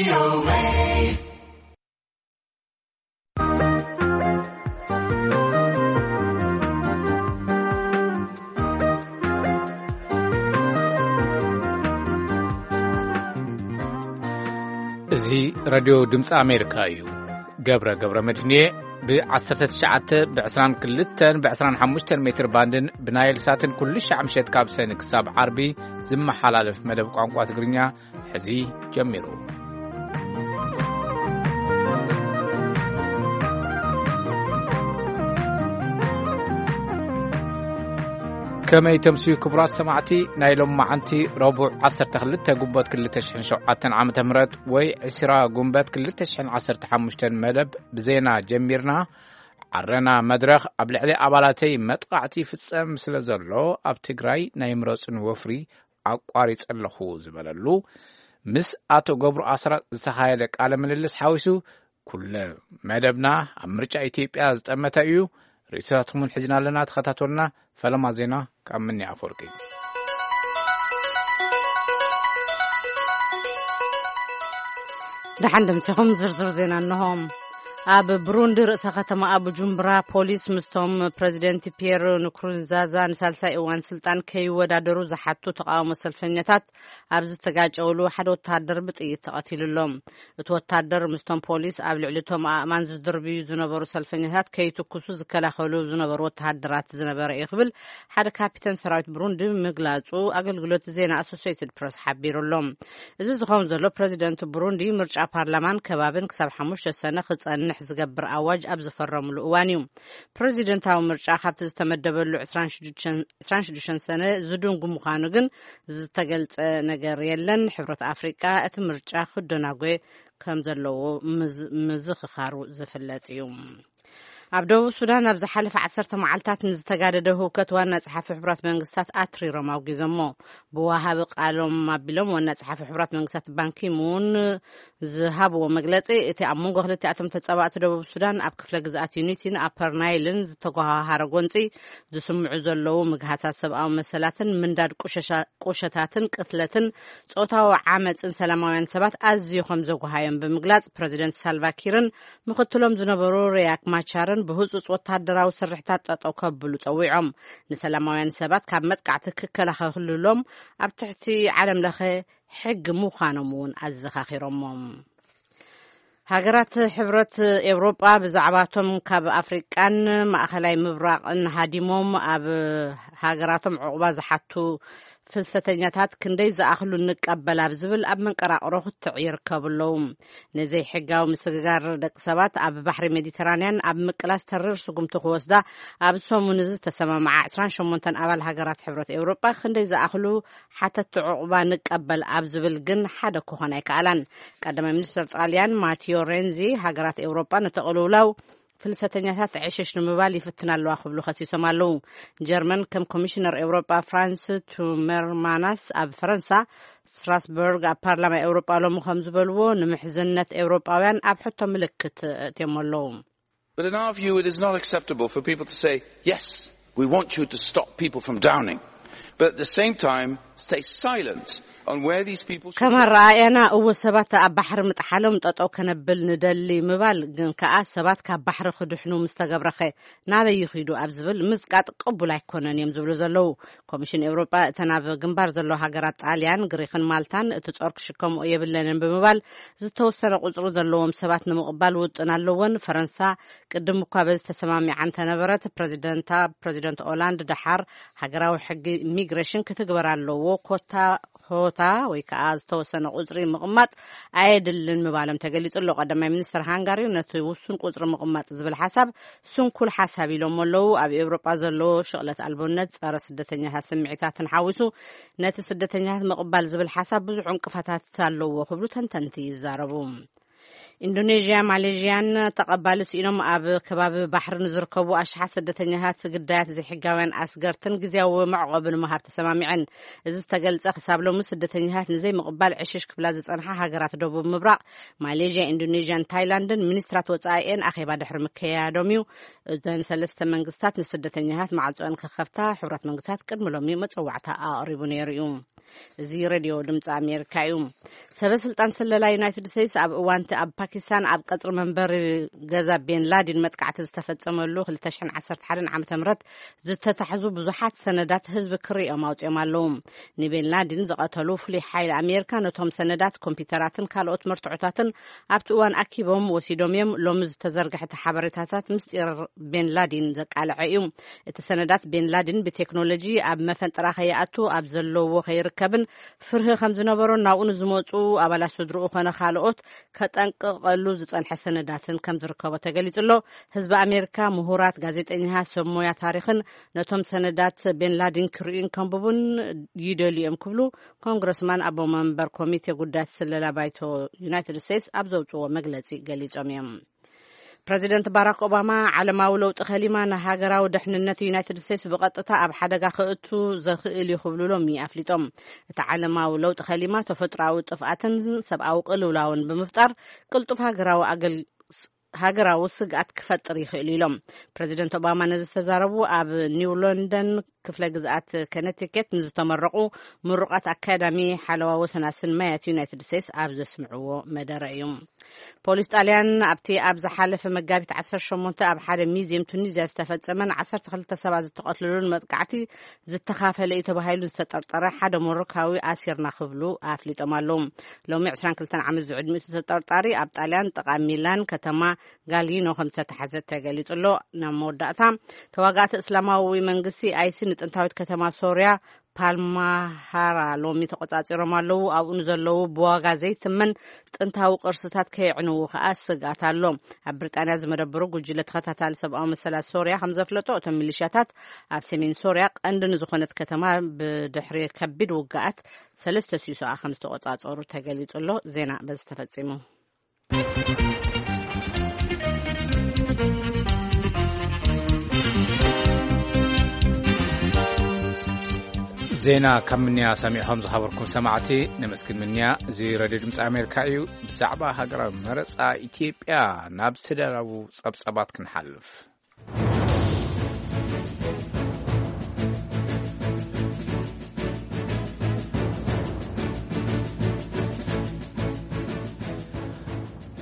እዚ ሬድዮ ድምፂ ኣሜሪካ እዩ። ገብረ ገብረ መድህንየ ብ19 ብ22 ብ25 ሜትር ባንድን ብናይል ሳትን ኩሉ ሻዕ ምሸት ካብ ሰኒ ክሳብ ዓርቢ ዝመሓላለፍ መደብ ቋንቋ ትግርኛ ሕዚ ጀሚሩ። ከመይ ተምስዩ ክቡራት ሰማዕቲ፣ ናይ ሎም መዓንቲ ረቡዕ 12 ጉንበት 2007 ዓመተ ምህረት ወይ 20 ጉንበት 2015 መደብ ብዜና ጀሚርና። ዓረና መድረኽ ኣብ ልዕሊ ኣባላተይ መጥቓዕቲ ይፍጸም ስለ ዘሎ ኣብ ትግራይ ናይ ምረጹን ወፍሪ ኣቋሪጸ ኣለኹ ዝበለሉ፣ ምስ ኣቶ ገብሩ ኣስራት ዝተኻየደ ቃለ ምልልስ ሓዊሱ ኩለ መደብና ኣብ ምርጫ ኢትዮጵያ ዝጠመተ እዩ። ርእይቶታትኩም እውን ሒዝና ኣለና። ተኸታተሉና። ፈለማ ዜና ካብ ምኒ ኣፈወርቂ። ደሓን ደምሲኹም ዝርዝር ዜና እንሆ። ኣብ ብሩንዲ ርእሰ ከተማ ቡጁምብራ ፖሊስ ምስቶም ፕረዚደንት ፒየር ንኩሩንዛዛ ንሳልሳይ እዋን ስልጣን ከይወዳደሩ ዝሓቱ ተቃውሞ ሰልፈኛታት ኣብ ዝተጋጨውሉ ሓደ ወተሃደር ብጥይት ተቐቲሉ ኣሎ። እቲ ወተሃደር ምስቶም ፖሊስ ኣብ ልዕሊ እቶም ኣእማን ዝድርብዩ ዝነበሩ ሰልፈኛታት ከይትኩሱ ዝከላኸሉ ዝነበሩ ወተሃደራት ዝነበረ እዩ ክብል ሓደ ካፒተን ሰራዊት ብሩንዲ ምግላጹ ኣገልግሎት ዜና ኣሶሲየትድ ፕረስ ሓቢሩ ኣሎ። እዚ ዝኸውን ዘሎ ፕረዚደንት ብሩንዲ ምርጫ ፓርላማን ከባብን ክሳብ ሓሙሽተ ሰነ ክጸንሕ ዝገብር ኣዋጅ ኣብ ዝፈረምሉ እዋን እዩ። ፕረዚደንታዊ ምርጫ ካብቲ ዝተመደበሉ 26 ሰነ ዝድንጉ ምዃኑ ግን ዝተገልጸ ነገር የለን። ሕብረት ኣፍሪቃ እቲ ምርጫ ክደናጎ ከም ዘለዎ ምዝ-፣ ምዝኽኻሩ ዝፍለጥ እዩ። ኣብ ደቡብ ሱዳን ኣብ ዝሓለፈ ዓሰርተ መዓልታት ንዝተጋደደ ህውከት ዋና ጸሓፊ ሕቡራት መንግስታት ኣትሪሮም ኣውጊዞሞ። ብወሃቢ ቃሎም ኣቢሎም ዋና ጸሓፊ ሕቡራት መንግስታት ባንኪሙን ዝሃብዎ መግለጺ፣ እቲ ኣብ መንጎ ክልቲኣቶም ተጻባእቲ ደቡብ ሱዳን ኣብ ክፍለ ግዝኣት ዩኒቲን ኣፐር ናይልን ዝተጓሃሃረ ጎንጺ ዝስምዑ ዘለዉ ምግሃሳት ሰብኣዊ መሰላትን ምንዳድ ቁሸሻ-፣ ቁሸታትን ቅትለትን ጾታዊ ዓመጽን ሰላማውያን ሰባት ኣዝዩ ከም ዘጓሃዮም ብምግላጽ፣ ፕረዚደንት ሳልቫኪርን ምኽትሎም ዝነበሩ ሪያክ ማቻርን ብህጹጽ ወተሃደራዊ ስርሕታት ጠጠው ከብሉ ጸዊዖም። ንሰላማውያን ሰባት ካብ መጥቃዕቲ ክከላኸልሎም ኣብ ትሕቲ ዓለም ለኸ ሕጊ ምዃኖም እውን ኣዘኻኺሮሞም። ሃገራት ሕብረት ኤውሮጳ ብዛዕባቶም ካብ ኣፍሪቃን ማእኸላይ ምብራቕን ሃዲሞም ኣብ ሃገራቶም ዕቑባ ዝሓቱ ፍልሰተኛታት ክንደይ ዝኣኽሉ ንቀበል ኣብ ዝብል ኣብ መንቀራቕሮ ክትዕ ይርከቡ ኣለዉ። ንዘይሕጋዊ ምስግጋር ደቂ ሰባት ኣብ ባሕሪ ሜዲተራንያን ኣብ ምቅላስ ተሪር ስጉምቲ ክወስዳ ኣብ ሰሙን እዚ ዝተሰማምዓ 28 ኣባል ሃገራት ሕብረት ኤውሮጳ ክንደይ ዝኣኽሉ ሓተቲ ዕቑባ ንቀበል ኣብ ዝብል ግን ሓደ ክኾን ኣይከኣላን። ቀዳማይ ሚኒስትር ጣልያን ማቲዮ ሬንዚ፣ ሃገራት ኤውሮጳ ነቲ ቅልውላው ፍልሰተኛታት ዕሽሽ ንምባል ይፍትና ኣለዋ ክብሉ ከሲሶም ኣለዉ። ጀርመን ከም ኮሚሽነር ኤውሮጳ ፍራንስ ቱመርማናስ ኣብ ፈረንሳ ስትራስበርግ ኣብ ፓርላማ ኤውሮጳ ሎሚ ከም ዝበልዎ፣ ንምሕዝነት ኤውሮጳውያን ኣብ ሕቶ ምልክት እትዮም ኣለዉ። But in our view, it is not acceptable for people to say, "Yes, we want you to stop people from drowning." But at the same time, stay silent on where these people should ከም ኣረኣእያና፣ እወ፣ ሰባት ኣብ ባሕሪ ምጥሓሎም ጠጠው ከነብል ንደሊ ምባል ግን ከኣ ሰባት ካብ ባሕሪ ክድሕኑ ምስ ተገብረኸ ናበይ ይኺዱ ኣብ ዝብል ምጽቃጥ ቅቡል ኣይኮነን እዮም ዝብሉ ዘለዉ። ኮሚሽን ኤውሮጳ እተን ኣብ ግንባር ዘለዋ ሃገራት ጣልያን፣ ግሪኽን ማልታን እቲ ጾር ክሽከምኦ የብለንን ብምባል ዝተወሰነ ቁጽሪ ዘለዎም ሰባት ንምቕባል ውጥን ኣለወን። ፈረንሳ ቅድም እኳ በዚ ተሰማሚዓ እንተነበረት፣ ፕረዚደንታ፣ ፕረዚደንት ኦላንድ ደሓር ሃገራዊ ሕጊ ኢሚግሬሽን ክትግበር ኣለዎ፣ ኮታ ሆታ ወይ ከዓ ዝተወሰነ ቁጽሪ ምቕማጥ ኣየድልን ምባሎም ተገሊጹ ኣሎ። ቀዳማይ ሚኒስትር ሃንጋሪ ነቲ ውሱን ቁጽሪ ምቕማጥ ዝብል ሓሳብ ስንኩል ሓሳብ ኢሎም ኣለዉ። ኣብ ኤውሮጳ ዘሎ ሽቕለት ኣልቦነት፣ ጸረ ስደተኛታት ስምዒታትን ሓዊሱ ነቲ ስደተኛታት ምቕባል ዝብል ሓሳብ ብዙሕ ዕንቅፋታት ኣለዎ ክብሉ ተንተንቲ ይዛረቡ። ኢንዶኔዥያ፣ ማሌዥያን ተቐባሊ ስኢኖም ኣብ ከባቢ ባሕሪ ንዝርከቡ ኣሽሓት ስደተኛታት ግዳያት ዘይሕጋውያን ኣስገርትን ግዝያዊ መዕቆቢ ንምሃብ ተሰማሚዐን። እዚ ዝተገልጸ ክሳብ ሎሚ ስደተኛታት ንዘይምቕባል ዕሽሽ ክብላ ዝጸንሓ ሃገራት ደቡብ ምብራቕ ማሌዥያ፣ ኢንዶኔዥያን ታይላንድን ሚኒስትራት ወጻኢኤን ኣኼባ ድሕሪ ምክያዶም እዩ። እዘን ሰለስተ መንግስታት ንስደተኛታት ማዕጾን ክኸፍታ ሕብረት መንግስታት ቅድሚ ሎሚ መጸዋዕታ ኣቕሪቡ ነይሩ እዩ። እዚ ሬድዮ ድምፂ ኣሜሪካ እዩ። ሰበ ስልጣን ስለላ ዩናይትድ ስቴትስ ኣብ እዋንቲ ኣብ ፓኪስታን ኣብ ቀጽሪ መንበሪ ገዛ ቤን ላዲን መጥቃዕቲ ዝተፈጸመሉ ክልተ ሽሕን ዓሰርተ ሓደን ዓመተ ምህረት ዝተታሕዙ ብዙሓት ሰነዳት ህዝቢ ክርእዮም ኣውጺኦም ኣለዉ። ንቤን ላዲን ዝቐተሉ ፍሉይ ሓይሊ ኣሜሪካ ነቶም ሰነዳት፣ ኮምፒውተራትን ካልኦት መርትዖታትን ኣብቲ እዋን ኣኪቦም ወሲዶም እዮም። ሎሚ ዝተዘርግሐ እቲ ሓበሬታታት ምስጢር ቤን ላዲን ዘቃልዐ እዩ። እቲ ሰነዳት ቤን ላዲን ብቴክኖሎጂ ኣብ መፈንጥራ ከይኣቱ ኣብ ዘለዎ ከይርከብን ፍርሂ ከም ዝነበሮን ናብኡ ንዝመጹ ኣባላት ስድርኡ ኮነ ካልኦት ከጠንቅቐሉ ዝጸንሐ ሰነዳትን ከም ዝርከቦ ተገሊጹ ኣሎ። ህዝቢ ኣሜሪካ፣ ምሁራት፣ ጋዜጠኛታት፣ ሰብ ሞያ ታሪኽን ነቶም ሰነዳት ቤን ላዲን ክርእዩን ከንብቡን ይደልዩ እዮም ክብሉ ኮንግረስማን ኣቦ መንበር ኮሚቴ ጉዳያት ስለላ ባይቶ ዩናይትድ ስቴትስ ኣብ ዘውጽዎ መግለጺ ገሊጾም እዮም። ፕረዚደንት ባራክ ኦባማ ዓለማዊ ለውጢ ከሊማ ንሃገራዊ ድሕንነት ዩናይትድ ስቴትስ ብቐጥታ ኣብ ሓደጋ ከእቱ ዘኽእል እዩ ክብሉ ሎሚ ኣፍሊጦም። እቲ ዓለማዊ ለውጢ ከሊማ ተፈጥሮኣዊ ጥፍኣትን ሰብኣዊ ቅልውላውን ብምፍጣር ቅልጡፍ ሃገራዊ ኣገል-፣ ሃገራዊ ስግኣት ክፈጥር ይኽእል ኢሎም። ፕረዚደንት ኦባማ ነዚ ዝተዛረቡ ኣብ ኒው ሎንደን ክፍለ ግዝኣት ከነቲኬት ንዝተመረቑ ምሩቓት ኣካዳሚ ሓለዋ ወሰናስን ማያት ዩናይትድ ስቴትስ ኣብ ዘስምዕዎ መደረ እዩ። ፖሊስ ጣልያን ኣብቲ ኣብ ዝሓለፈ መጋቢት ዓሰርተ ሸሞንተ ኣብ ሓደ ሚዝየም ቱኒዝያ ዝተፈጸመን ዓሰርተ ክልተ ሰባት ዝተቐትልሉን መጥቃዕቲ ዝተኻፈለ እዩ ተባሂሉ ዝተጠርጠረ ሓደ ሞሮካዊ ኣሲርና ክብሉ ኣፍሊጦም ኣለዉ። ሎሚ ዕስራን ክልተን ዓመት ዝዕድሚኡ ተጠርጣሪ ኣብ ጣልያን ጥቓ ሚላን ከተማ ጋሊኖ ከም ዝተታሕዘ ተገሊጹ ኣሎ። ናብ መወዳእታ፣ ተዋጋእቲ እስላማዊ መንግስቲ ኣይሲ ንጥንታዊት ከተማ ሶርያ ፓልማሃራ ሎሚ ተቆጻጺሮም ኣለዉ። ኣብኡ ንዘለዉ ብዋጋ ዘይትመን ጥንታዊ ቅርስታት ከየዕንዉ ከኣ ስግኣት ኣሎ። ኣብ ብሪጣንያ ዝመደበሩ ጉጅለ ተኸታታሊ ሰብኣዊ መሰላት ሶርያ ከም ዘፍለጦ፣ እቶም ሚሊሻታት ኣብ ሰሜን ሶርያ ቀንዲ ንዝኾነት ከተማ ብድሕሪ ከቢድ ውግኣት ሰለስተ ሲሶኣ ከም ዝተቆጻጸሩ ተገሊጹ ኣሎ። ዜና በዚ ተፈጺሙ። ዜና ካብ ምንያ ሰሚዕኹም ዝኸበርኩም ሰማዕቲ ነመስግን። ምንያ እዚ ሬድዮ ድምፂ ኣሜሪካ እዩ። ብዛዕባ ሃገራዊ መረፃ ኢትዮጵያ ናብ ዝተዳለዉ ጸብጸባት ክንሓልፍ።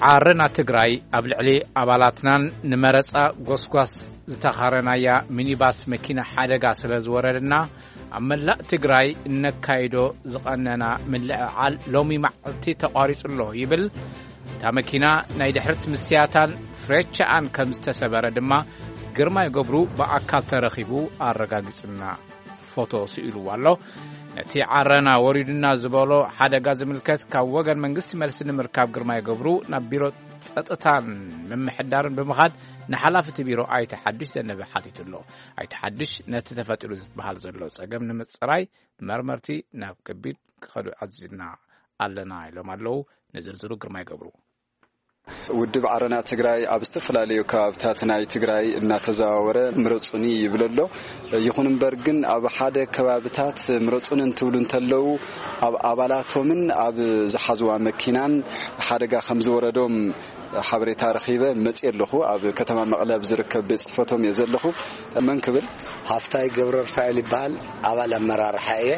ዓረና ትግራይ ኣብ ልዕሊ ኣባላትናን ንመረፃ ጎስጓስ ዝተኻረናያ ሚኒባስ መኪና ሓደጋ ስለ ዝወረደና ኣብ መላእ ትግራይ እነካይዶ ዝቐነና ምልዕዓል ሎሚ መዓልቲ ተቋሪጹ ኣሎ ይብል። እታ መኪና ናይ ድሕሪት ምስትያታን ፍሬቻኣን ከም ዝተሰበረ ድማ ግርማይ ገብሩ ብኣካል ተረኺቡ ኣረጋጊጹና። ፎቶ ስኢልዎ ኣሎ። ነቲ ዓረና ወሪዱና ዝበሎ ሓደጋ ዝምልከት ካብ ወገን መንግስቲ መልሲ ንምርካብ ግርማይ ገብሩ ናብ ቢሮ ጸጥታን ምምሕዳርን ብምኻድ ንሓላፊ እቲ ቢሮ ኣይተ ሓዱሽ ዘነበ ሓቲቱ ኣሎ። ኣይተ ሓዱሽ ነቲ ተፈጢሩ ዝበሃል ዘሎ ጸገም ንምጽራይ መርመርቲ ናብ ከቢድ ክኸዱ ኣዚዝና ኣለና ኢሎም ኣለዉ። ንዝርዝሩ ግርማይ ገብሩ። ውድብ ዓረና ትግራይ ኣብ ዝተፈላለዩ ከባብታት ናይ ትግራይ እናተዘዋወረ ምረፁኒ ይብል ኣሎ። ይኹን እምበር ግን ኣብ ሓደ ከባብታት ምረፁኒ እንትብሉ እንተለዉ ኣብ ኣባላቶምን ኣብ ዝሓዝዋ መኪናን ሓደጋ ከም ዝወረዶም ሓበሬታ ረኺበ መፅየ ኣለኹ። ኣብ ከተማ መቐለ ኣብ ዝርከብ ቤት ፅሕፈቶም እየ ዘለኹ። መን ክብል? ሃፍታይ ገብረ ሩፋኤል ይበሃል። ኣባል ኣመራርሓ እየ።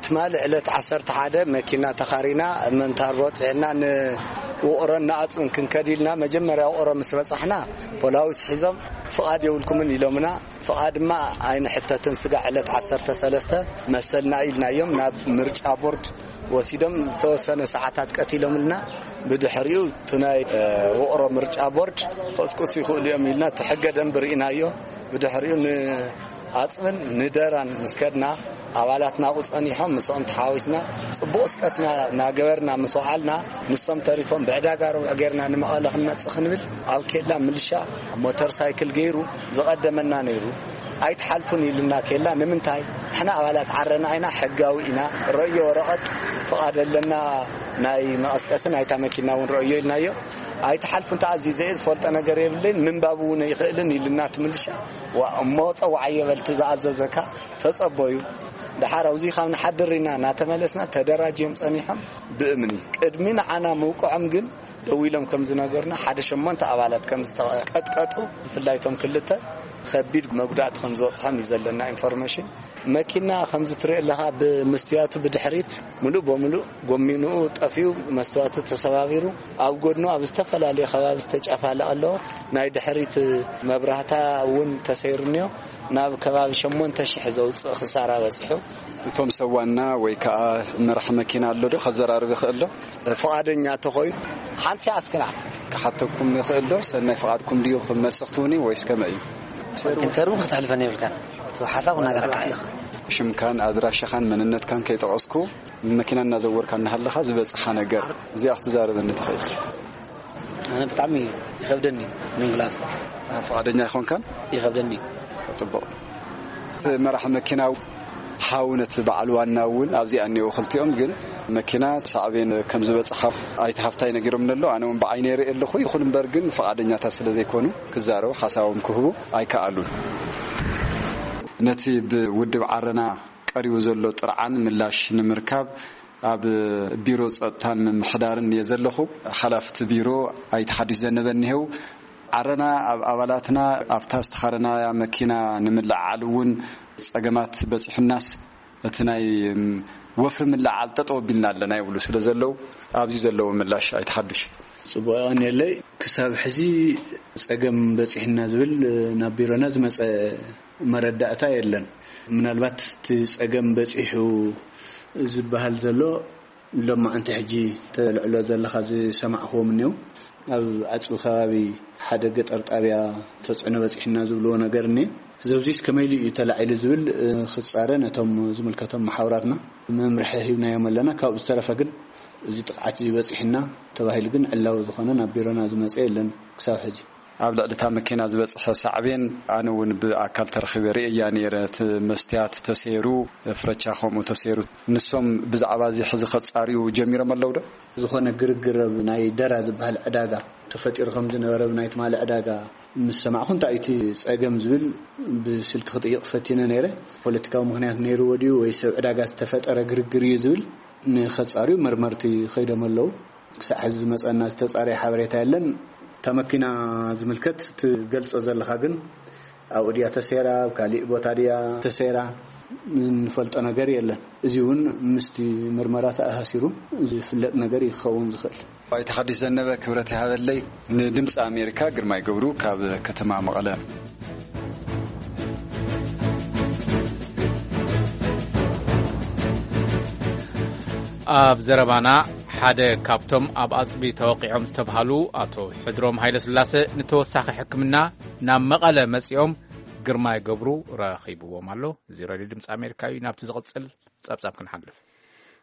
ትማሊ ዕለት ዓሰርተ ሓደ መኪና ተኻሪና መንታርቦ ፅዕና ንውቕሮን ንኣፅብን ክንከድ ኢልና መጀመርያ ውቕሮ ምስ በፃሕና ፖላዊስ ሒዞም ፍቓድ የብልኩምን ኢሎምና። ፍቓድ ድማ ኣይንሕተትን ስጋዕ ዕለት ዓሰርተ ሰለስተ መሰልና ኢልናዮም ናብ ምርጫ ቦርድ ወሲዶም ዝተወሰነ ሰዓታት ቀቲሎምልና። ብድሕሪኡ እቲ ናይ ውቕሮ ምርጫ ቦርድ ክቕስቅሱ ይኽእሉ እዮም ኢልና እቲ ሕገ ደንቢ ርኢናዮ። ብድሕሪኡ ንኣፅብን ንደራን ምስ ከድና ኣባላትና ኣብኡ ፀኒሖም ምስኦም ተሓዋዊስና ፅቡቕ ስቀስና እናገበርና ምስ ወዓልና ንሶም ተሪፎም ብዕዳጋ ርቡዕ ጌርና ንመቐለ ክንመፅእ ክንብል ኣብ ኬላ ምልሻ ሞተር ሳይክል ገይሩ ዝቐደመና ነይሩ። ኣይትሓልፉን ኢሉና ኬላ። ንምንታይ? ንሕና ኣባላት ዓረና ኢና፣ ሕጋዊ ኢና። ረዮ ወረቐት ፍቓድ ኣለና፣ ናይ መቐስቀሲ ናይታ መኪና እውን ረዮ ኢልናዮ። ኣይትሓልፉን፣ ተኣዚዘ እየ፣ ዝፈልጦ ነገር የብለይን፣ ምንባብ እውን ኣይኽእልን ኢሉና እቲ ምልሻ። ዋ እሞ ጸዋዕ የበል፣ እቲ ዝኣዘዘካ ተጸበዩ። ደሓር ኣብዚ ካብ ንሓድር ኢና እናተመለስና ተደራጅዮም ጸኒሖም ብእምኒ ቅድሚ ንዓና ምውቅዖም ግን ደዊሎም ከም ዝነገሩና ሓደ ሸሞንተ ኣባላት ከም ዝተቀጥቀጡ ብፍላይ እቶም ክልተ ከቢድ መጉዳእቲ ከም ዝበፅሖም እዩ ዘለና ኢንፎርሜሽን። መኪና ከምዚ ትሪኦ ኣለኻ፣ ብምስትያቱ ብድሕሪት ሙሉእ በሙሉእ ጎሚንኡ ጠፊኡ፣ መስትዋቱ ተሰባቢሩ፣ ኣብ ጎድኑ ኣብ ዝተፈላለየ ከባቢ ዝተጨፋለቐ ኣለዎ። ናይ ድሕሪት መብራህታ እውን ተሰይሩ እኒኦ። ናብ ከባቢ ሸሞንተ ሽሕ ዘውፅእ ክሳራ በፂሑ። እቶም ሰብ ዋና ወይ ከዓ መራሕ መኪና ኣሎ ዶ ከዘራርብ ይኽእል ዶ? ፍቓደኛ ተኾይኑ ሓንቲ ሰዓት ክና ክሓተኩም ይኽእል ዶ? ሰናይ ፍቓድኩም ድዩ ክመልሲ ክትውኒ ወይስ ከመይ እዩ? ኢንተርቪው ክትሕልፈኒ የብልካን። እቲ ሓሳብ ክናገረካ እየ። ሽምካን ኣድራሻኻን መንነትካን ከይጠቐስኩ ንመኪና እናዘወርካ እናሃለኻ ዝበፅሓ ነገር እዚኣ ክትዛረበኒ ትኽእል? ኣነ ብጣዕሚ ይኸብደኒ ንምግላፅ። ፍቓደኛ ኣይኾንካን? ይኸብደኒ። ፅቡቕ። እቲ መራሒ መኪና ሓው ነቲ በዓል ዋና እውን ኣብዚኣ እኒኦ። ክልቲኦም ግን መኪና ሳዕቤን ከም ዝበፅሓ ኣይተ ሃፍታይ ነጊሮም ኣሎ። ኣነ እውን ብዓይነ ይርኢ ኣለኹ። ይኹን እምበር ግን ፍቓደኛታት ስለ ዘይኮኑ ክዛረቡ ሓሳቦም ክህቡ ኣይከኣሉን። ነቲ ብውድብ ዓረና ቀሪቡ ዘሎ ጥርዓን ምላሽ ንምርካብ ኣብ ቢሮ ጸጥታን ምምሕዳርን እየ ዘለኹ። ሓላፍቲ ቢሮ ኣይተ ሓድሽ ዘነበ እኒሄው። ዓረና ኣብ ኣባላትና ኣብታ ዝተኻረናያ መኪና ንምልዕዓል እውን ጸገማት በጺሑናስ እቲ ናይ ወፍሪ ምልዕዓል ጠጠው ኣቢልና ኣለና ይብሉ ስለ ዘለዉ ኣብዚ ዘለዎ ምላሽ ኣይተ ሓድሽ። ጽቡቕ የቐንየለይ። ክሳብ ሕዚ ጸገም በጺሕና ዝብል ናብ ቢሮና ዝመጸ መረዳእታ የለን። ምናልባት እቲ ጸገም በጺሑ ዝበሃል ዘሎ ሎማዓንቲ ሕጂ ተልዕሎ ዘለኻ ዝሰማዕኽዎም እኒው ኣብ ዓጽቢ ከባቢ ሓደ ገጠር ጣብያ ተጽዕኖ በጺሕና ዝብልዎ ነገር እኒ ዘብዚስ ከመይ ኢሉ እዩ ተላዒሉ ዝብል ክጻረ ነቶም ዝምልከቶም መሓውራትና መምርሒ ሂብናዮም ኣለና። ካብኡ ዝተረፈ ግን እዚ ጥቕዓት እዚ በጺሕና ተባሂሉ ግን ዕላዊ ዝኾነ ናብ ቢሮና ዝመጸ የለን ክሳብ ሕዚ። ኣብ ልዕሊ እታ መኪና ዝበጽሐ ሳዕቤን ኣነ እውን ብኣካል ተረኺበ ርእየያ ነይረ። እቲ መስትያት ተሰይሩ፣ ፍረቻ ከምኡ ተሰይሩ። ንሶም ብዛዕባ እዚ ሕዚ ከጻርዩ ጀሚሮም ኣለዉ ዶ? ዝኾነ ግርግር ኣብ ናይ ደራ ዝበሃል ዕዳጋ ተፈጢሩ ከም ዝነበረ ብናይ ትማሊ ዕዳጋ ምስ ሰማዕኹ እንታይ እቲ ጸገም ዝብል ብስልኪ ክጥይቕ ፈቲነ ነይረ። ፖለቲካዊ ምኽንያት ነይርዎ ድዩ ወይ ሰብ ዕዳጋ ዝተፈጠረ ግርግር እዩ ዝብል ንኸጻርዩ መርመርቲ ከይዶም ኣለዉ። ክሳዕ ሕዚ ዝመጸና ዝተጻረየ ሓበሬታ የለን። እታ መኪና ዝምልከት ትገልጾ ዘለኻ ግን ኣብኡ ድያ ተሰይራ፣ ኣብ ካሊእ ቦታ ድያ ተሰይራ፣ እንፈልጦ ነገር የለን። እዚ እውን ምስቲ ምርመራ ተኣሳሲሩ ዝፍለጥ ነገር እዩ ክኸውን ዝኽእል። ኣይተ ሓድሽ ዘነበ ክብረት ይሃበለይ። ንድምፂ ኣሜሪካ ግርማይ ገብሩ ካብ ከተማ መቐለ። ኣብ ዘረባና ሓደ ካብቶም ኣብ ኣጽቢ ተወቂዖም ዝተብሃሉ ኣቶ ሕድሮም ሃይለስላሰ ንተወሳኺ ሕክምና ናብ መቐለ መጺኦም ግርማይ ገብሩ ረኺብዎም ኣሎ። እዚ ሬድዮ ድምፂ ኣሜሪካ እዩ። ናብቲ ዝቕጽል ጸብጻብ ክንሓልፍ።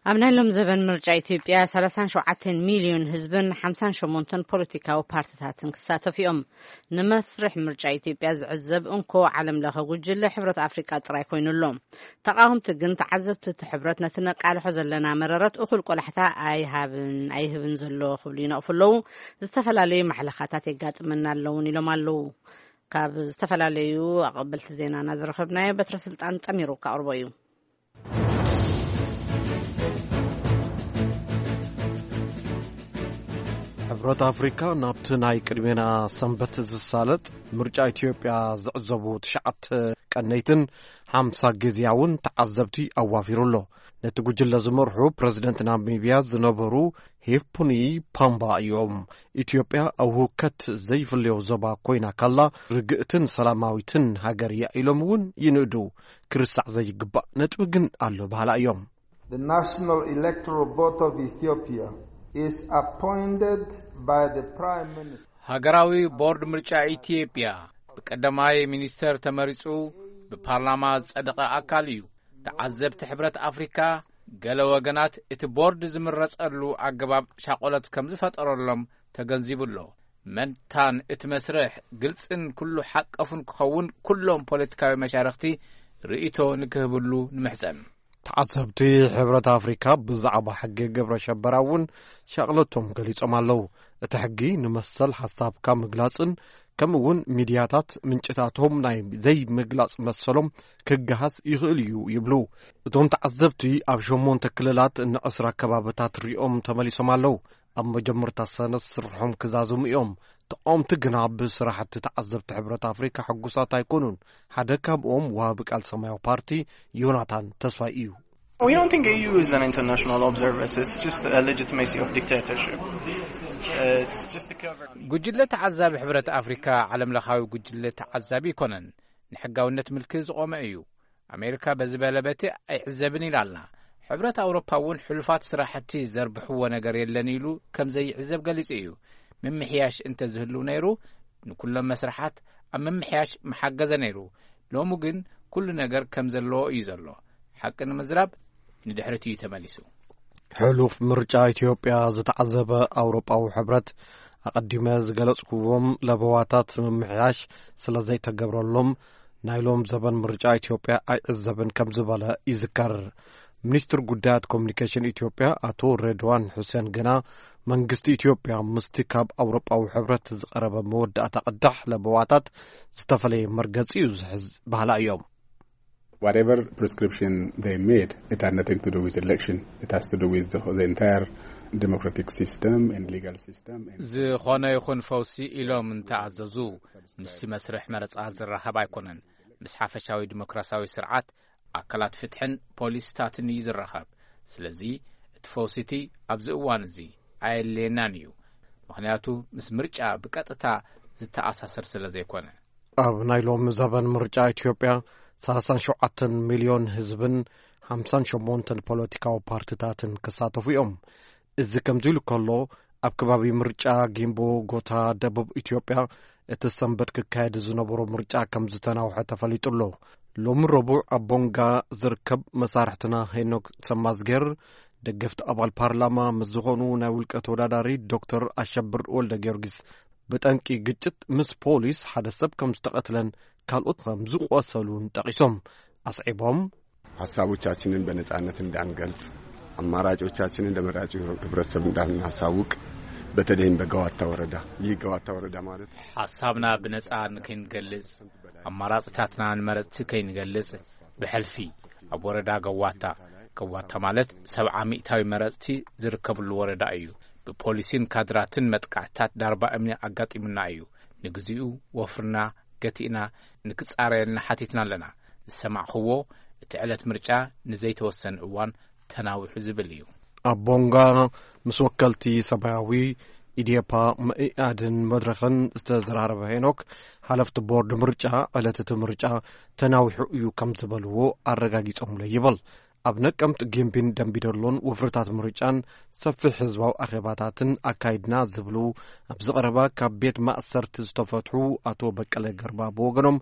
ኣብ ናይ ሎም ዘበን ምርጫ ኢትዮጵያ ሰላሳን ሸውዓተን ሚልዮን ህዝብን ሓምሳን ሸሞንተን ፖለቲካዊ ፓርቲታትን ክሳተፉ እዮም። ንመስርሕ ምርጫ ኢትዮጵያ ዝዕዘብ እንኮ ዓለም ለኸ ጉጅለ ሕብረት ኣፍሪቃ ጥራይ ኮይኑ ኣሎ። ተቓወምቲ ግን ተዓዘብቲ እቲ ሕብረት ነቲ ነቃልሖ ዘለና መረረት እኹል ቆላሕታ ኣይሃብን ኣይህብን ዘሎ ክብሉ ይነቕፉ ኣለዉ። ዝተፈላለዩ ማሕለኻታት የጋጥመና ኣለውን ኢሎም ኣለዉ። ካብ ዝተፈላለዩ ኣቐበልቲ ዜናና ዝረኸብናዮ በትረ ስልጣን ጠሚሩ ከቕርቦ እዩ። ሕብረት ኣፍሪካ ናብቲ ናይ ቅድሜና ሰንበት ዝሳለጥ ምርጫ ኢትዮጵያ ዝዕዘቡ ትሽዓተ ቀነይትን ሓምሳ ግዝያውን ተዓዘብቲ ኣዋፊሩ ኣሎ። ነቲ ጉጅለ ዝመርሑ ፕረዚደንት ናሚብያ ዝነበሩ ሄፍፑኒ ፓምባ እዮም። ኢትዮጵያ ኣብ ህውከት ዘይፍለዮ ዞባ ኮይና ካላ ርግእትን ሰላማዊትን ሃገር እያ ኢሎም እውን ይንእዱ። ክርሳዕ ዘይግባእ ነጥቢ ግን ኣሎ በሃላ እዮም። The National Electoral Board of Ethiopia is appointed by the Prime Minister. ሃገራዊ ቦርድ ምርጫ ኢትዮጵያ ብቀዳማይ ሚኒስተር ተመሪጹ ብፓርላማ ዝጸደቐ ኣካል እዩ። ተዓዘብቲ ሕብረት ኣፍሪካ ገለ ወገናት እቲ ቦርድ ዝምረጸሉ ኣገባብ ሻቆለት ከም ዝፈጠረሎም ተገንዚቡ ኣሎ። መንታን እቲ መስርሕ ግልጽን ኩሉ ሓቀፉን ክኸውን ኩሎም ፖለቲካዊ መሻርኽቲ ርእይቶ ንክህብሉ ንምሕጸን። ተዓዘብቲ ሕብረት ኣፍሪካ ብዛዕባ ሕጊ ግብረ ሸበራ እውን ሻቕለቶም ገሊጾም ኣለዉ። እቲ ሕጊ ንመሰል ሓሳብካ ምግላጽን ከምኡ እውን ሚድያታት ምንጭታቶም ናይ ዘይምግላጽ መሰሎም ክገሃስ ይኽእል እዩ ይብሉ። እቶም ተዓዘብቲ ኣብ ሸሞንተ ክልላት ንዕስራ ከባብታት ሪኦም ተመሊሶም ኣለዉ። ኣብ መጀመርታ ሰነ ስርሖም ክዛዝሙ እዮም። ተቃወምቲ ግና ብስራሕቲ ተዓዘብቲ ሕብረት ኣፍሪካ ሕጉሳት ኣይኮኑን። ሓደ ካብኦም ወሃቢ ቃል ሰማያዊ ፓርቲ ዮናታን ተስፋይ እዩ። We don't think A U is an international observer. It's just a legitimacy of dictatorship. It's just a cover. ጉጅለ ተዓዛቢ ሕብረት ኣፍሪካ ዓለም ለኻዊ ጉጅለ ተዓዛቢ ኣይኮነን። ንሕጋውነት ምልኪ ዝቆመ እዩ። ኣሜሪካ በዚ በለ በቲ ኣይዕዘብን ኢላ ኣላ። ሕብረት ኣውሮፓ እውን ሕሉፋት ስራሕቲ ዘርብሕዎ ነገር የለን ኢሉ ከም ዘይዕዘብ ገሊጹ እዩ። ምምሕያሽ እንተዝህሉ ነይሩ ንኩሎም መስርሓት ኣብ ምምሕያሽ ምሓገዘ ነይሩ። ሎሚ ግን ኩሉ ነገር ከም ዘለዎ እዩ ዘሎ። ሓቂ ንምዝራብ ንድሕሪት እዩ ተመሊሱ። ሕሉፍ ምርጫ ኢትዮጵያ ዝተዓዘበ ኣውሮጳዊ ሕብረት ኣቐዲመ ዝገለጽኩዎም ለበዋታት ምምሕያሽ ስለ ዘይተገብረሎም ናይ ሎም ዘበን ምርጫ ኢትዮጵያ ኣይዕዘብን ከም ዝበለ ይዝከር። ሚኒስትር ጉዳያት ኮሚኒኬሽን ኢትዮጵያ ኣቶ ሬድዋን ሑሴን ግና መንግስቲ ኢትዮጵያ ምስቲ ካብ ኣውሮጳዊ ሕብረት ዝቐረበ መወዳእታ ቅዳሕ ለበዋታት ዝተፈለየ መርገጺ እዩ ዝሕዝ ባህላ እዮም። Whatever prescription they made, it had nothing to do with election. It has to do with the, the entire democratic system and legal system. And ዝኾነ ይኹን ፈውሲ ኢሎም እንተኣዘዙ ምስቲ መስርሕ መረጻ ዝራኸብ ኣይኮነን። ምስ ሓፈሻዊ ዲሞክራሲያዊ ስርዓት፣ ኣካላት ፍትሕን ፖሊሲታትን እዩ ዝራኸብ። ስለዚ እቲ ፈውሲቲ ኣብዚ እዋን እዚ ኣየድልየናን እዩ። ምኽንያቱ ምስ ምርጫ ብቀጥታ ዝተኣሳሰር ስለ ዘይኮነ። ኣብ ናይ ሎሚ ዘበን ምርጫ ኢትዮጵያ ሰላሳን ሸውዓተን ሚልዮን ህዝብን ሓምሳን ሸሞንተን ፖለቲካዊ ፓርቲታትን ክሳተፉ እዮም። እዚ ከምዚ ኢሉ ከሎ፣ ኣብ ከባቢ ምርጫ ጊምቦ ጎታ ደቡብ ኢትዮጵያ እቲ ሰንበት ክካየድ ዝነበሮ ምርጫ ከም ዝተናውሐ ተፈሊጡ ኣሎ። ሎሚ ረቡዕ ኣብ ቦንጋ ዝርከብ መሳርሕትና ሄኖክ ሰማዝጌር ደገፍቲ ኣባል ፓርላማ ምስ ዝኾኑ ናይ ውልቀ ተወዳዳሪ ዶክተር ኣሸብር ወልደ ጊዮርጊስ ብጠንቂ ግጭት ምስ ፖሊስ ሓደ ሰብ ከም ዝተቐትለን ካልኦት ከም ዝቆሰሉን ጠቒሶም ኣስዒቦም። ሀሳቦቻችንን በነጻነት እንዳንገልጽ፣ አማራጮቻችንን ለመራጩ ህብረተሰብ እንዳናሳውቅ፣ በተለይም በገዋታ ወረዳ፣ ይህ ገዋታ ወረዳ ማለት ሓሳብና ብነጻ ንከይንገልጽ፣ ኣማራጽታትና ንመረጽቲ ከይንገልጽ ብሕልፊ ኣብ ወረዳ ገዋታ፣ ገዋታ ማለት ሰብዓ ሚእታዊ መረጽቲ ዝርከብሉ ወረዳ እዩ። ብፖሊሲን ካድራትን መጥቃዕትታት ዳርባ እምኒ ኣጋጢሙና እዩ። ንግዚኡ ወፍርና ገቲእና ንክጻረየልና ሓቲትና ኣለና። ዝሰማዕኽዎ እቲ ዕለት ምርጫ ንዘይተወሰነ እዋን ተናዊሑ ዝብል እዩ። ኣብ ቦንጋ ምስ ወከልቲ ሰማያዊ፣ ኢዴፓ፣ መኢኣድን መድረኽን ዝተዘራረበ ሄኖክ፣ ሓለፍቲ ቦርድ ምርጫ ዕለት እቲ ምርጫ ተናዊሑ እዩ ከም ዝበልዎ ኣረጋጊጾምለ ይብል። ኣብ ነቀምት፣ ጊምቢን ደምቢዶሎን ወፍርታት ምርጫን ሰፊሕ ህዝባዊ ኣኼባታትን ኣካይድና ዝብሉ ኣብዚ ቀረባ ካብ ቤት ማእሰርቲ ዝተፈትሑ ኣቶ በቀለ ገርባ ብወገኖም፣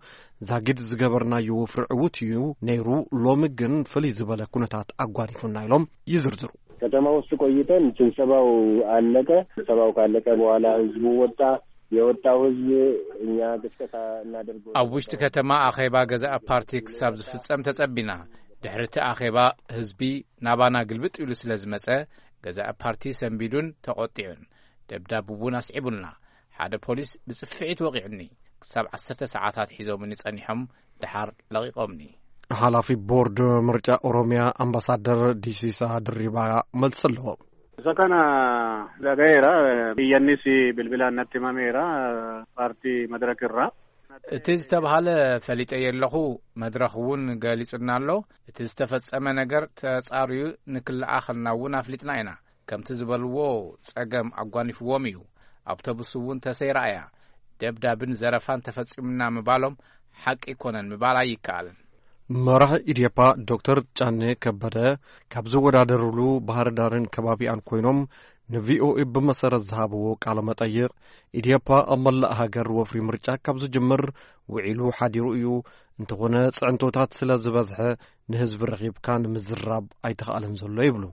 ዛጊድ ዝገበርናዮ ወፍሪ ዕዉት እዩ ነይሩ፣ ሎሚ ግን ፍልይ ዝበለ ኩነታት ኣጓኒፉና ኢሎም ይዝርዝሩ። ከተማ ውስጥ ቆይተን ስብሰባው አለቀ። ስብሰባው ካለቀ በኋላ ህዝቡ ወጣ። የወጣው ህዝብ እኛ ቅስቀሳ እናደርገው ኣብ ውሽጢ ከተማ ኣኼባ ገዛእ ፓርቲ ክሳብ ዝፍጸም ተጸቢና። ድሕሪ እቲ ኣኼባ ህዝቢ ናባና ግልብጥ ኢሉ ስለ ዝመጸ፣ ገዛእ ፓርቲ ሰንቢዱን ተቖጢዑን ደብዳብ እውን ኣስዒቡልና። ሓደ ፖሊስ ብጽፍዒት ወቒዑኒ። ክሳብ ዓሰርተ ሰዓታት ሒዞምኒ ጸኒሖም፣ ደሓር ለቒቖምኒ። ሓላፊ ቦርድ ምርጫ ኦሮሚያ ኣምባሳደር ዲሲሳ ድሪባ መልሲ ኣለዎም። Isa kana dhagaheera. Iyyannis bilbilaan natti himameera. Paartii Madirak irraa. እቲ ዝተባህለ ፈሊጠዮ ኣለኹ። መድረኽ እውን ገሊጹና ኣሎ። እቲ ዝተፈጸመ ነገር ተጻርዩ ንክለኣኸልና እውን ኣፍሊጥና ኢና። ከምቲ ዝበልዎ፣ ጸገም ኣጓኒፍዎም እዩ። ኣውቶቡስ እውን ተሰይራ እያ። ደብዳብን ዘረፋን ተፈጺሙና ምባሎም ሓቂ ኣይኮነን ምባል ኣይከኣልን። መራሒ ኢዴፓ ዶክተር ጫኔ ከበደ ካብ ዝወዳደርሉ ባህር ዳርን ከባቢኣን ኮይኖም ንቪኦኤ ብመሰረት ዝሃብዎ ቃለ መጠይቕ፣ ኢዴፓ ኣብ መላእ ሃገር ወፍሪ ምርጫ ካብ ዝጅምር ውዒሉ ሓዲሩ እዩ። እንተኾነ ጽዕንቶታት ስለ ዝበዝሐ ንህዝቢ ረኺብካ ንምዝራብ ኣይተኻእለን ዘሎ ይብሉ።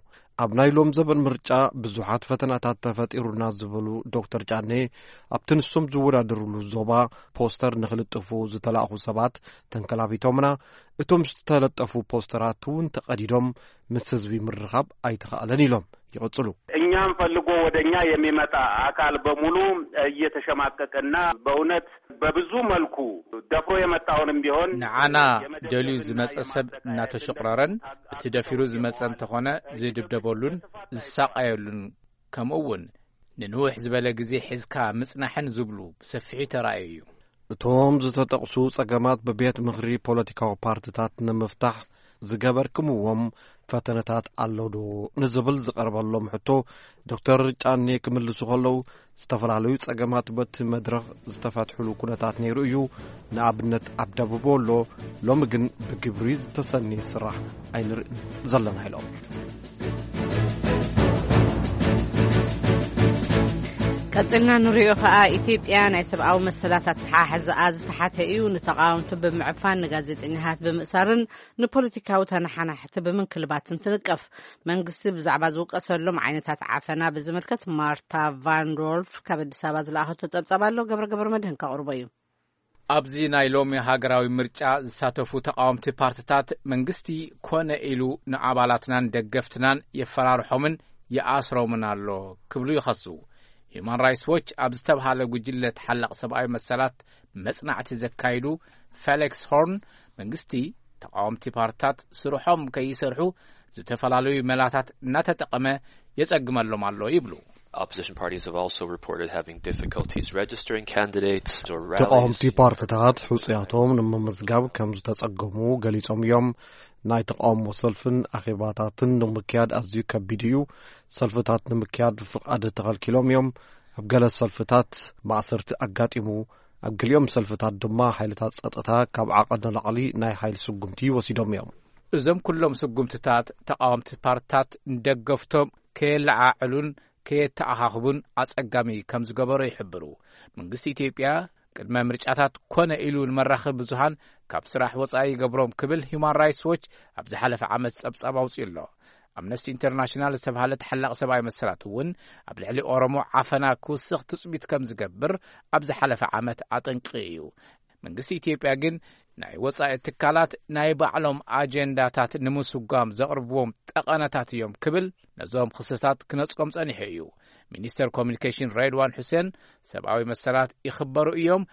ኣብ ናይ ሎም ዘበን ምርጫ ብዙሓት ፈተናታት ተፈጢሩና ዝበሉ ዶክተር ጫኔ፣ ኣብቲ ንሶም ዝወዳደርሉ ዞባ ፖስተር ንኽልጥፉ ዝተላእኹ ሰባት ተንከላቢቶምና፣ እቶም ዝተለጠፉ ፖስተራት እውን ተቐዲዶም ምስ ህዝቢ ምርኻብ ኣይተኻእለን ኢሎም ይቕጽሉ። እኛም ፈልጎ ወደ እኛ የሚመጣ አካል በሙሉ እየተሸማቀቀና በእውነት በብዙ መልኩ ደፍሮ የመጣውንም ቢሆን ንዓና ደልዩ ዝመጸ ሰብ እናተሸቑረረን፣ እቲ ደፊሩ ዝመጸ እንተኾነ ዝድብደበሉን ዝሳቐየሉን፣ ከምኡ እውን ንንውሕ ዝበለ ግዜ ሒዝካ ምጽናሕን ዝብሉ ብሰፊሑ ተራእዩ እዩ። እቶም ዝተጠቕሱ ጸገማት ብቤት ምኽሪ ፖለቲካዊ ፓርትታት ንምፍታሕ ዝገበርክምዎም ፈተነታት ኣሎ ዶ ንዝብል ዝቐርበሎም ሕቶ፣ ዶክተር ጫኔ ክምልሱ ከለዉ፣ ዝተፈላለዩ ጸገማት በቲ መድረኽ ዝተፈትሕሉ ኩነታት ነይሩ እዩ። ንኣብነት ኣብ ደቡብ ወሎ ሎሚ ግን ብግብሪ ዝተሰነየ ስራሕ ኣይንርእን ዘለና ኢሎም። ቀጽልና ንሪኦ ከኣ፣ ኢትዮጵያ ናይ ሰብኣዊ መሰላት ኣተሓሕዛኣ ዝተሓተ እዩ። ንተቓወምቲ ብምዕፋን፣ ንጋዜጠኛታት ብምእሳርን ንፖለቲካዊ ተነሓናሕቲ ብምንክልባትን ትንቀፍ። መንግስቲ ብዛዕባ ዝውቀሰሎም ዓይነታት ዓፈና ብዝምልከት ማርታ ቫን ዶልፍ ካብ ኣዲስ ኣበባ ዝለኣኸቶ ጸብጻብ ኣሎ። ገብረ ገብረ መድህን ከቕርቦ እዩ። ኣብዚ ናይ ሎሚ ሃገራዊ ምርጫ ዝሳተፉ ተቓወምቲ ፓርትታት፣ መንግስቲ ኮነ ኢሉ ንኣባላትናን ደገፍትናን የፈራርሖምን ይኣስሮምን ኣሎ ክብሉ ይኸሱ። ሂዩማን ራይትስ ዎች ኣብ ዝተብሃለ ጉጅለ ተሓላቕ ሰብኣዊ መሰላት መጽናዕቲ ዘካይዱ ፌሊክስ ሆርን፣ መንግስቲ ተቓወምቲ ፓርትታት ስርሖም ከይሰርሑ ዝተፈላለዩ መላታት እናተጠቐመ የጸግመሎም ኣሎ ይብሉ። Opposition parties have also reported having difficulties registering candidates or rallies. ተቓወምቲ ፓርትታት ሕጹያቶም ንምምዝጋብ ከም ዝተጸገሙ ገሊጾም እዮም። ናይ ተቓውሞ ሰልፍን ኣኼባታትን ንምክያድ ኣዝዩ ከቢድ እዩ። ሰልፍታት ንምክያድ ፍቓድ ተኸልኪሎም እዮም። ኣብ ገለ ሰልፍታት ማእሰርቲ ኣጋጢሙ። ኣብ ገሊኦም ሰልፍታት ድማ ሓይልታት ጸጥታ ካብ ዓቐን ንላዕሊ ናይ ሓይሊ ስጉምቲ ወሲዶም እዮም። እዞም ኩሎም ስጉምትታት ተቓወምቲ ፓርትታት ንደገፍቶም ከየለዓዕሉን ከየተኣኻኽቡን ኣጸጋሚ ከም ዝገበሮ ይሕብሩ። መንግስቲ ኢትዮጵያ ቅድመ ምርጫታት ኮነ ኢሉ ንመራኸቢ ብዙሃን ካብ ስራሕ ወጻኢ ይገብሮም ክብል ሂዩማን ራይትስ ዎች ኣብ ዝሓለፈ ዓመት ጸብጻብ ኣውጺኡ ኣሎ። ኣምነስቲ ኢንተርናሽናል ዝተባህለ ተሓላቒ ሰብኣዊ መሰላት እውን ኣብ ልዕሊ ኦሮሞ ዓፈና ክውስኽ ትጽቢት ከም ዝገብር ኣብ ዝሓለፈ ዓመት ኣጠንቂቑ እዩ። መንግስቲ ኢትዮጵያ ግን ናይ ወጻኢ ትካላት ናይ ባዕሎም ኣጀንዳታት ንምስጓም ዘቕርብዎም ጠቐነታት እዮም ክብል ነዞም ክስታት ክነጽጎም ጸኒሑ እዩ። ሚኒስተር ኮሚኒኬሽን ሬድዋን ሑሴን፣ ሰብኣዊ መሰላት ይኽበሩ እዮም፣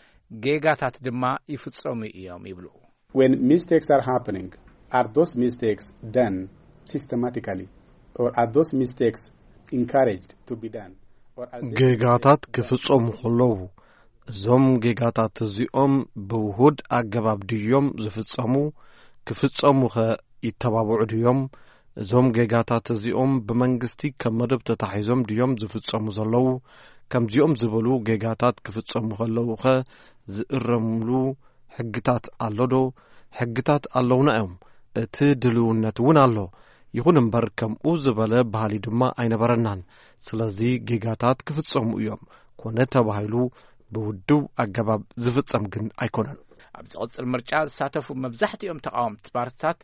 ጌጋታት ድማ ይፍጸሙ እዮም ይብሉ። When mistakes are happening, are those mistakes done systematically, or are those mistakes encouraged to be done? Or are they ጌጋታት ክፍጸሙ ከለዉ፣ እዞም ጌጋታት እዚኦም ብውሁድ ኣገባብ ድዮም ዝፍጸሙ? ክፍጸሙኸ ይተባብዑ ድዮም? እዞም ጌጋታት እዚኦም ብመንግስቲ ከም መደብ ተታሒዞም ድዮም ዝፍጸሙ ዘለዉ? ከምዚኦም ዝበሉ ጌጋታት ክፍጸሙ ከለዉኸ ዝእረምሉ ሕግታት ኣሎ ዶ? ሕግታት ኣለዉና እዮም። እቲ ድልውነት እውን ኣሎ። ይኹን እምበር፣ ከምኡ ዝበለ ባህሊ ድማ ኣይነበረናን። ስለዚ ጌጋታት ክፍጸሙ እዮም። ኮነ ተባሂሉ ብውድብ ኣገባብ ዝፍጸም ግን ኣይኮነን። ኣብ ዝቕጽል ምርጫ ዝሳተፉ መብዛሕትኦም ተቓወምቲ ፓርትታት፣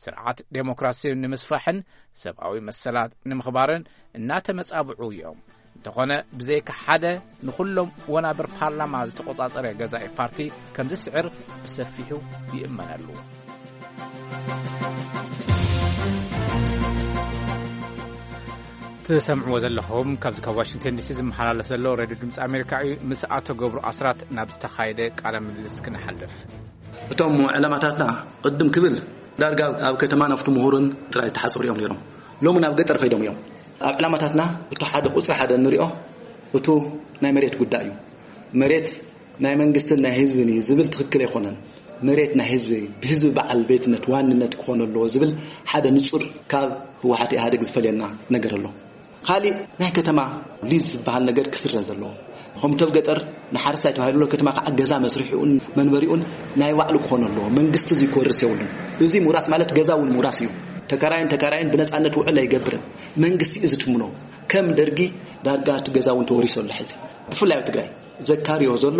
ስርዓት ዴሞክራሲ ንምስፋሕን ሰብኣዊ መሰላት ንምኽባርን እናተመጻብዑ እዮም። እንተኾነ፣ ብዘይካ ሓደ ንኹሎም ወናብር ፓርላማ ዝተቖጻጸረ ገዛኢ ፓርቲ ከም ዝስዕር ብሰፊሑ ይእመነሉ። ትሰምዕዎ ዘለኹም ካብዚ ካብ ዋሽንግተን ዲሲ ዝመሓላለፍ ዘሎ ሬድዮ ድምፂ ኣሜሪካ እዩ። ምስ ኣቶ ገብሩ ኣስራት ናብ ዝተኻየደ ቃለ ምልልስ ክንሓልፍ። እቶም ዕላማታትና ቅድም ክብል ዳርጋ ኣብ ከተማን ኣብቲ ምሁርን ጥራይ ዝተሓፀሩ እዮም ነይሮም። ሎሚ ናብ ገጠር ከይዶም እዮም። ኣብ ዕላማታትና እቲ ሓደ ቁፅሪ ሓደ እንሪኦ እቱ ናይ መሬት ጉዳይ እዩ። መሬት ናይ መንግስትን ናይ ህዝብን እዩ ዝብል ትኽክል ኣይኮነን። መሬት ናይ ህዝቢ፣ ብህዝቢ በዓል ቤትነት ዋንነት ክኾን ኣለዎ ዝብል ሓደ ንጹር ካብ ህወሓት ኢህኣዴግ ዝፈልየና ነገር ኣሎ። ካሊእ ናይ ከተማ ሊዝ ዝበሃል ነገር ክስረዝ ዘለዎ። ከምቶም ገጠር ንሓረስታይ ተባሂሉ ከተማ ከዓ ገዛ መስርሒኡን መንበሪኡን ናይ ባዕሉ ክኾን ኣለዎ። መንግስቲ እዚ ክወርስ የብሉን። እዚ ምውራስ ማለት ገዛ እውን ምውራስ እዩ። ተከራይን ተካራይን ብነፃነት ውዕል ኣይገብርን። መንግስቲ እዚ ትምኖ። ከም ደርጊ ዳርጋ እቲ ገዛ እውን ተወሪሱ ኣሎ። ሕዚ ብፍላይ ኣብ ትግራይ ዘካርዮ ዘሎ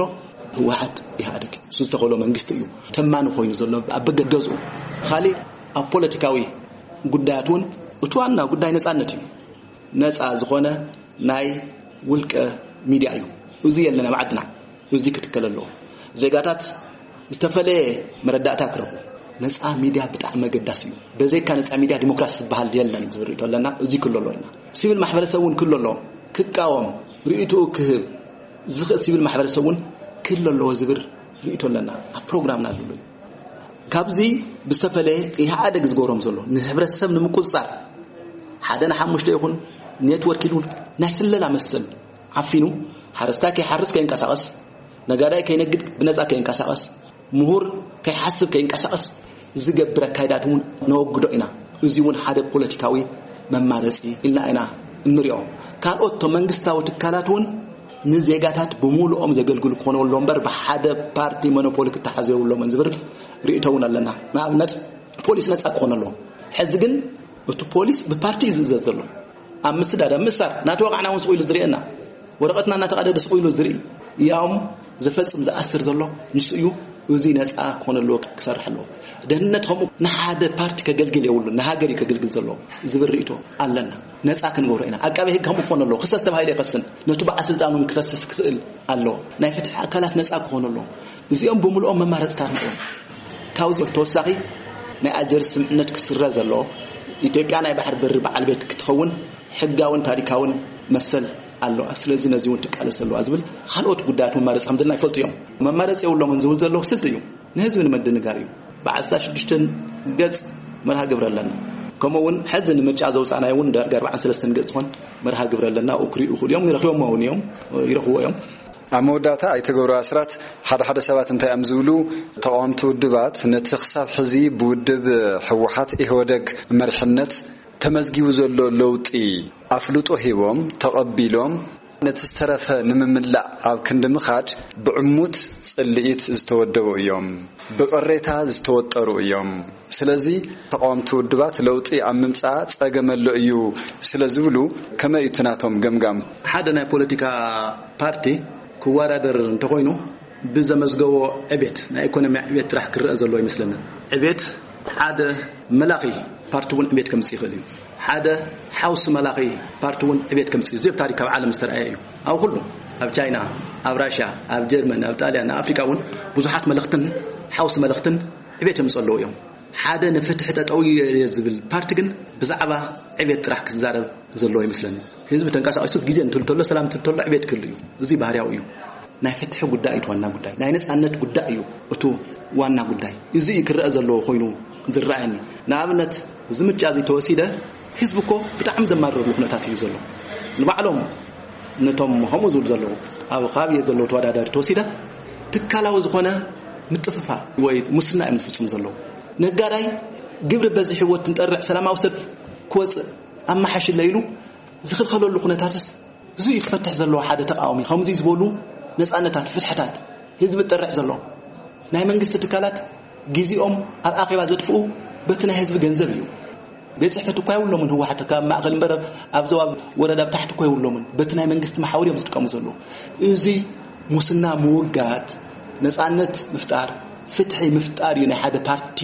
ህወሓት ኢህኣዴግ እሱ ዝተኸሎ መንግስቲ እዩ ተማኒ ኮይኑ ዘሎ ኣብ በገገዝኡ። ካሊእ ኣብ ፖለቲካዊ ጉዳያት እውን እቲ ዋና ጉዳይ ነፃነት እዩ። ነፃ ዝኾነ ናይ ውልቀ ሚድያ እዩ። እዚ የለን ኣብ ዓድና። እዚ ክትከል ኣለዎ። ዜጋታት ዝተፈለየ መረዳእታ ክረኽቡ። ነፃ ሚድያ ብጣዕሚ መገዳሲ እዩ። በዘይካ ነፃ ሚድያ ዲሞክራሲ ዝበሃል የለን ዝብል ርእይቶ ኣለና። እዚ ክሎ ኣለዎ ኢና። ሲቪል ማሕበረሰብ እውን ክሎ ኣለዎ። ክቃወም፣ ርእይትኡ ክህብ ዝኽእል ሲቪል ማሕበረሰብ እውን ክሎ ኣለዎ ዝብል ርእይቶ ኣለና። ኣብ ፕሮግራምና ኣሎ እዩ። ካብዚ ብዝተፈለየ ኢህኣደግ ዝገብሮም ዘሎ ንህብረተሰብ ንምቁፅፃር ሓደ ንሓሙሽተ ይኹን ኔትወርክ ኢሉ ናይ ስለላ መሰል ዓፊኑ፣ ሓረስታይ ከይሓርስ ከይንቀሳቐስ፣ ነጋዳይ ከይነግድ ብነጻ ከይንቀሳቐስ፣ ምሁር ከይሓስብ ከይንቀሳቐስ ዝገብር ኣካይዳት እውን ነወግዶ ኢና። እዚ እውን ሓደ ፖለቲካዊ መማረፂ ኢልና ኢና እንሪኦ። ካልኦት እቶም መንግስታዊ ትካላት እውን ንዜጋታት ብምሉኦም ዘገልግሉ ክኾኑ ኣሎ እምበር፣ ብሓደ ፓርቲ ሞኖፖሊ ክተሓዙ የብሎምን ዝብል ርእይቶ እውን ኣለና። ንኣብነት ፖሊስ ነፃ ክኾን ኣለዎ። ሕዚ ግን እቲ ፖሊስ ብፓርቲ እዩ ዝእዘዝ ዘሎ። ኣብ ምስዳድ፣ ኣብ ምእሳር፣ ናተወቃዕና እውን ስቕ ኢሉ ዝርእየና፣ ወረቐትና እናተቐደደ ስቕ ኢሉ ዝርኢ፣ ያውም ዝፈጽም ዝኣስር ዘሎ ንሱ እዩ። እዚ ነፃ ክኾን ኣለዎ፣ ክሰርሕ ኣለዎ። ደህንነት ከምኡ ንሓደ ፓርቲ ከገልግል የብሉን፣ ንሃገር እዩ ከገልግል ዘለዎ ዝብል ርእይቶ ኣለና። ነፃ ክንገብሮ ኢና። ኣቃቤ ህግ ከምኡ ክኾን ኣለዎ። ክሰስ ተባሂሉ ይኸስን፣ ነቱ በዓል ስልጣን እውን ክኸስስ ክኽእል ኣለዎ። ናይ ፍትሒ ኣካላት ነፃ ክኾኑ ኣለዎም። እዚኦም ብምልኦም መማረፅታት እዮም። ካብዚ ተወሳኺ ናይ ኣልጀርስ ስምምዕነት ክስረዝ ኣለዎ። ኢትዮጵያ ናይ ባሕሪ በሪ በዓል ቤት ክትኸውን ሕጋውን ታሪካውን መሰል ኣለዋ። ስለዚ ነዚ እውን ትቃለስ ኣለዋ ዝብል ካልኦት ጉዳያት መማረፂ ከም ዘለና ይፈልጡ እዮም። መማረፂ የብሎምን ዝብል ዘለዉ ስልቲ እዩ፣ ንህዝቢ ንምድንጋር እዩ። ብዓሰርተ ሽዱሽተ ገፅ መርሃ ግብሪ ኣለና። ከምኡ እውን ሕዚ ንምርጫ ዘውፃእናዮ እውን ዳርጋ ኣርባዓን ሰለስተን ገፅ ዝኾን መርሃ ግብሪ ኣለና። ኣብኡ ክርእዩ ይኽእሉ እዮም፣ ይረኽቦም እውን እዮም፣ ይረኽብዎ እዮም። ኣብ መወዳእታ ኣይተ ገብሩ ኣስራት፣ ሓደ ሓደ ሰባት እንታይ እዮም ዝብሉ፣ ተቓወምቲ ውድባት ነቲ ክሳብ ሕዚ ብውድብ ህወሓት ኢህወደግ መሪሕነት ተመዝጊቡ ዘሎ ለውጢ ኣፍልጦ ሂቦም ተቐቢሎም፣ ነቲ ዝተረፈ ንምምላእ ኣብ ክንዲ ምኻድ ብዕሙት ጽልኢት ዝተወደቡ እዮም፣ ብቕሬታ ዝተወጠሩ እዮም። ስለዚ ተቓወምቲ ውድባት ለውጢ ኣብ ምምጻእ ጸገም ኣሎ እዩ ስለ ዝብሉ፣ ከመይ እዩ እቲ ናቶም ገምጋም? ሓደ ናይ ፖለቲካ ፓርቲ ክወዳደር እንተኾይኑ ብዘመዝገቦ ዕቤት፣ ናይ ኢኮኖሚ ዕቤት ጥራሕ ክረአ ዘለዎ ይመስለኒ። ዕቤት ሓደ መላኺ ፓርቲ እውን ዕቤት ከምጽእ ይኽእል እዩ። ሓደ ሓውሲ መላኺ ፓርቲ እውን ዕቤት ከምጽእ እዩ። እዚ ኣብ ታሪክ ኣብ ዓለም ዝተረኣየ እዩ። ኣብ ኩሉ፣ ኣብ ቻይና፣ ኣብ ራሽያ፣ ኣብ ጀርመን፣ ኣብ ጣልያን፣ ኣብ ኣፍሪቃ እውን ብዙሓት መለኽትን ሓውሲ መለኽትን ዕቤት የምጽኡ ኣለዉ እዮም። ሓደ ንፍትሒ ጠጠው እየ ዝብል ፓርቲ ግን ብዛዕባ ዕቤት ጥራሕ ክዛረብ ዘለዎ ይመስለኒ። ህዝቢ ተንቀሳቒሱ ግዜ እንትል ተሎ፣ ሰላም እንትል ተሎ ዕቤት ክህሉ እዩ። እዚ ባህርያዊ እዩ። ናይ ፍትሒ ጉዳይ እዩ እቲ ዋና ጉዳይ። ናይ ነጻነት ጉዳይ እዩ እቲ ዋና ጉዳይ። እዚ እዩ ክረአ ዘለዎ ኮይኑ ዝረኣየኒ። ንኣብነት፣ እዚ ምርጫ እዚ ተወሲደ፣ ህዝቢ እኮ ብጣዕሚ ዘማርረሉ ኩነታት እዩ ዘሎ። ንባዕሎም ነቶም ከምኡ ዝብሉ ዘለዉ፣ ኣብ ከባቢ ዘለዉ ተወዳዳሪ ተወሲደ፣ ትካላዊ ዝኾነ ምጥፍፋ ወይ ሙስና እዮም ዝፍጽሙ ዘለዉ። ነጋዳይ ግብሪ በዚሕዎ እንትንጠርዕ ሰላማዊ ሰልፊ ክወጽእ ኣመሓሽለ ኢሉ ዝኽልኸለሉ ኩነታትስ፣ እዚ እዩ ክፈትሕ ዘለዎ ሓደ ተቃዋሚ። ከምዚ ዝበሉ ነጻነታት፣ ፍትሕታት ህዝቢ ጠርዕ ዘሎ ናይ መንግስቲ ትካላት ግዜኦም ኣብ ኣኼባ ዘጥፍኡ በቲ ናይ ህዝቢ ገንዘብ እዩ። ቤት ጽሕፈት እኳ የብሎምን ህወሓት ካብ ማእኸል እምበር ኣብ ዞባ ወረዳ ብታሕቲ እኮ የብሎምን። በቲ ናይ መንግስቲ መሓውር እዮም ዝጥቀሙ ዘለዉ። እዚ ሙስና ምውጋድ፣ ነጻነት ምፍጣር፣ ፍትሒ ምፍጣር እዩ ናይ ሓደ ፓርቲ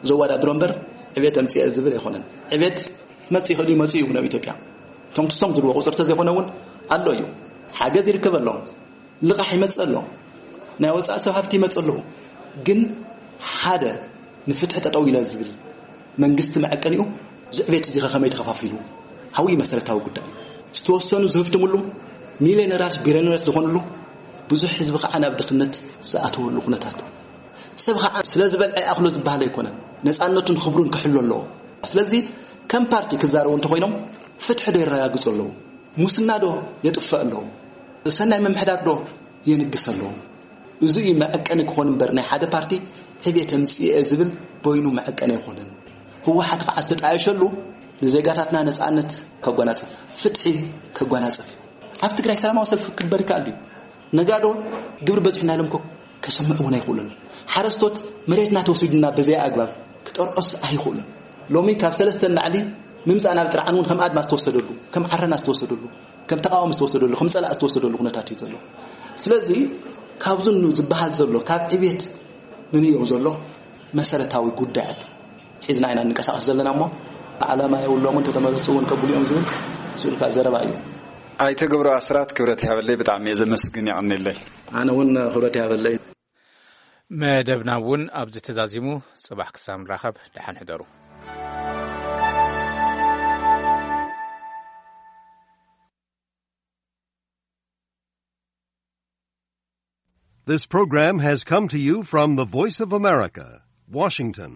ዘወዳድሮ እምበር ዕቤት ኣምጽኤ ዝብል ኣይኮነን። ዕቤት መጽእ ይኽእል እዩ፣ መጽእ እዩ ናብ ኢትዮጵያ። እቶም ትሶም ዝብልዎ ቁፅሪ ተዘይኮነ እውን ኣሎ እዩ። ሓገዝ ይርከብ ኣሎ፣ ልቓሕ ይመጽእ ኣሎ፣ ናይ ወፃኢ ሰብ ሃፍቲ ይመጽእ ኣለዉ። ግን ሓደ ንፍትሒ ጠጠው ኢለ ዝብል መንግስቲ መዐቀኒኡ እዚ ዕቤት እዚ ከ ከመይ ተኸፋፊሉ? ኣብኡ እዩ መሰረታዊ ጉዳይ። ዝተወሰኑ ዝህፍትምሉ፣ ሚሊዮነራት ቢሊዮነራት ዝኾንሉ፣ ብዙሕ ህዝቢ ከዓ ናብ ድኽነት ዝኣተወሉ ኩነታት። ሰብ ከዓ ስለ ዝበልዐ ይኣኽሎ ዝበሃል ኣይኮነን። ነፃነቱን ክብሩን ክሕሉ ኣለዎ። ስለዚ ከም ፓርቲ ክዛረቡ እንተኾይኖም ፍትሒ ዶ የረጋግፁ ኣለዉ? ሙስና ዶ የጥፍእ ኣለዉ? ሰናይ ምምሕዳር ዶ የንግስ ኣለዉ? እዚ እዩ መዐቀኒ ክኾን እምበር ናይ ሓደ ፓርቲ ዕቤት ኣምፅኤ ዝብል በይኑ መዐቀኒ ኣይኮነን። ህወሓት ከዓ ዝተጣየሸሉ ንዜጋታትና ነፃነት ከጎናፅፍ፣ ፍትሒ ከጎናፅፍ፣ ኣብ ትግራይ ሰላማዊ ሰልፊ ክግበር ይከኣል እዩ። ነጋዶ ግብሪ በዚሑና ኢሎም እኮ ከሰምዑ እውን ኣይኽእሉን። ሓረስቶት መሬትና ተወሲዱና ብዘይ ኣግባብ ክጠርዖስ ኣይኽእሉን። ሎሚ ካብ ሰለስተ ንላዕሊ ምምፃእ ናብ ጥርዓን እውን ከም ኣድማ ዝተወሰደሉ፣ ከም ዓረና ዝተወሰደሉ፣ ከም ተቃዋሚ ዝተወሰደሉ፣ ከም ፀላእ ዝተወሰደሉ ኩነታት እዩ ዘሎ። ስለዚ ካብዚ ኑ ዝበሃል ዘሎ ካብ ዕቤት ንንየው ዘሎ መሰረታዊ ጉዳያት ሒዝና ኢና እንንቀሳቐስ ዘለና እሞ፣ ዓላማ የብሎምን፣ ተተመረፁ እውን ከብሉ እዮም ዝብል ስኡልካ ዘረባ እዩ። ኣይተ ገብሩ ኣስራት፣ ክብረት ይሃበለይ፣ ብጣዕሚ እየ ዘመስግን፣ የቐንየለይ። ኣነ እውን ክብረት ይሃበለይ። መደብና እውን ኣብዚ ተዛዚሙ። ጽባሕ ክሳብ ንራኸብ፣ ደሓን ሕደሩ። This program has come to you from the Voice of America, Washington.